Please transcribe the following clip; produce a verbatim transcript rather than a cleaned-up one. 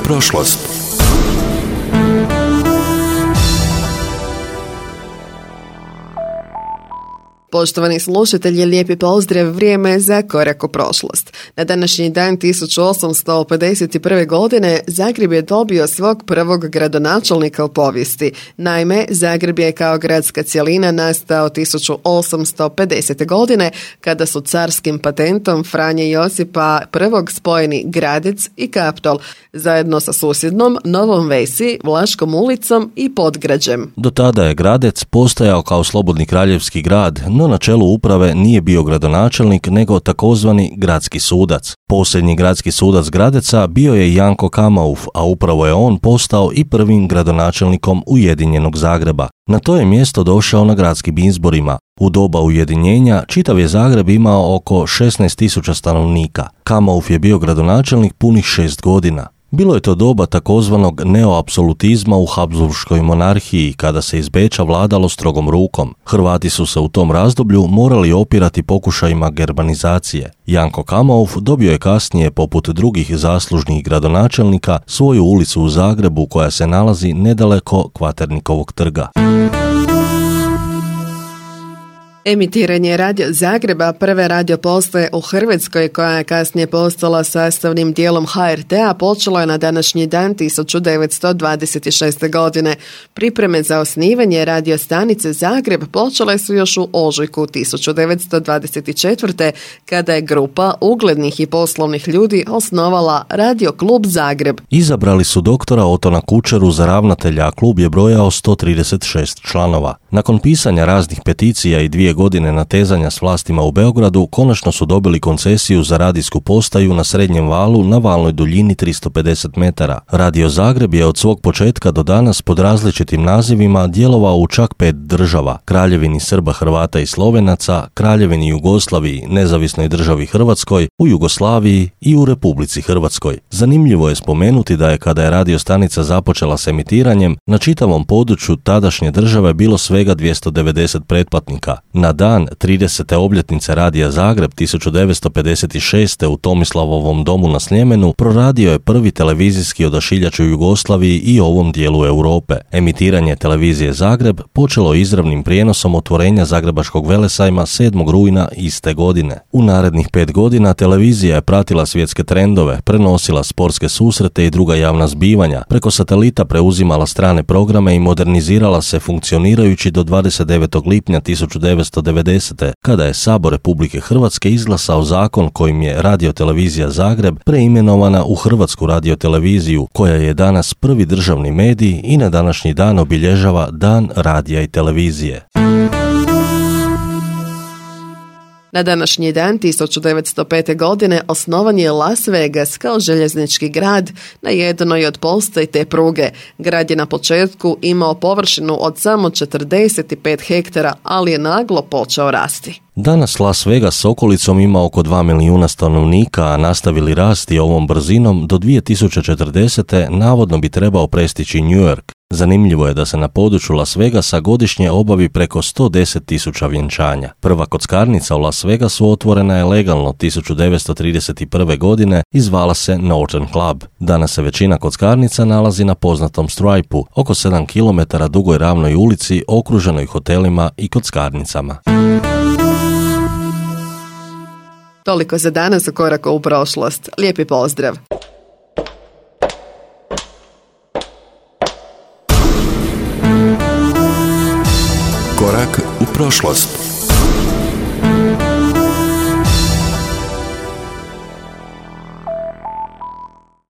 prošlost. Poštovani slušatelji, lijepi pozdrav, vrijeme je za korak u prošlost. Na današnji dan tisuću osamsto pedeset prve. godine Zagreb je dobio svog prvog gradonačelnika u povijesti. Naime, Zagreb je kao gradska cjelina nastao tisuću osamsto pedesete. godine kada su carskim patentom Franje Josipa prvog spojeni Gradec i Kaptol zajedno sa susjednom Novom Vesi, Vlaškom ulicom i Podgrađem. Do tada je Gradec postojao kao slobodni kraljevski grad, no na čelu uprave nije bio gradonačelnik nego takozvani gradski sudac. Posljednji gradski sudac Gradeca bio je Janko Kamauf, a upravo je on postao i prvim gradonačelnikom Ujedinjenog Zagreba. Na to je mjesto došao na gradskim izborima. U doba ujedinjenja čitav je Zagreb imao oko šesnaest tisuća stanovnika. Kamauf je bio gradonačelnik punih šest godina. Bilo je to doba takozvanog neoapsolutizma u Habsburškoj monarhiji, kada se iz Beča vladalo strogom rukom. Hrvati su se u tom razdoblju morali opirati pokušajima gerbanizacije. Janko Kamauf dobio je kasnije, poput drugih zaslužnih gradonačelnika, svoju ulicu u Zagrebu koja se nalazi nedaleko Kvaternikovog trga. Emitiranje Radio Zagreba, prve radio postaje u Hrvatskoj, koja je kasnije postala sastavnim dijelom ha er te a, počelo je na današnji dan tisuću devetsto dvadeset šeste. godine. Pripreme za osnivanje radio stanice Zagreb počele su još u ožujku tisuću devetsto dvadeset četvrte. kada je grupa uglednih i poslovnih ljudi osnovala Radio klub Zagreb. Izabrali su doktora Otona Kučeru za ravnatelja, a klub je brojao sto trideset šest članova. Nakon pisanja raznih peticija i dvije godine natezanja s vlastima u Beogradu, konačno su dobili koncesiju za radijsku postaju na srednjem valu na valnoj duljini tristo pedeset metara. Radio Zagreb je od svog početka do danas pod različitim nazivima djelovao u čak pet država: Kraljevini Srba, Hrvata i Slovenaca, Kraljevini Jugoslaviji, Nezavisnoj državi Hrvatskoj, u Jugoslaviji i u Republici Hrvatskoj. Zanimljivo je spomenuti da je, kada je radio stanica započela s emitiranjem, na čitavom području tadašnje države bilo svega dvjesto devedeset pretplatnika. Na dan tridesete obljetnice Radija Zagreb tisuću devetsto pedeset šeste. u Tomislavovom domu na Sljemenu proradio je prvi televizijski odašiljač u Jugoslaviji i ovom dijelu Europe. Emitiranje televizije Zagreb počelo izravnim prijenosom otvorenja Zagrebačkog velesajma sedmog rujna iste godine. U narednih pet godina televizija je pratila svjetske trendove, prenosila sportske susrete i druga javna zbivanja, preko satelita preuzimala strane programe i modernizirala se, funkcionirajući do dvadeset devetog lipnja tisuću devetsto devedesete. kada je Sabor Republike Hrvatske izglasao zakon kojim je Radiotelevizija Zagreb preimenovana u Hrvatsku radioteleviziju, koja je danas prvi državni medij i na današnji dan obilježava Dan radija i televizije. Na današnji dan tisuću devetsto pete. godine osnovan je Las Vegas kao željeznički grad na jednoj od postaji te pruge. Grad je na početku imao površinu od samo četrdeset pet hektara, ali je naglo počeo rasti. Danas Las Vegas s okolicom ima oko dva milijuna stanovnika, a nastavili rasti ovom brzinom do dvije tisuće četrdesete. navodno bi trebao prestići New York. Zanimljivo je da se na području Las Vegasa godišnje obavi preko sto deset tisuća vjenčanja. Prva kockarnica u Las Vegasu otvorena je legalno tisuću devetsto trideset prve. godine i zvala se Northern Club. Danas se većina kockarnica nalazi na poznatom Stripe-u, oko sedam kilometara dugoj ravnoj ulici okruženoj hotelima i kockarnicama. Toliko za danas u koraku u prošlost. Lijepi pozdrav! Korak u prošlost.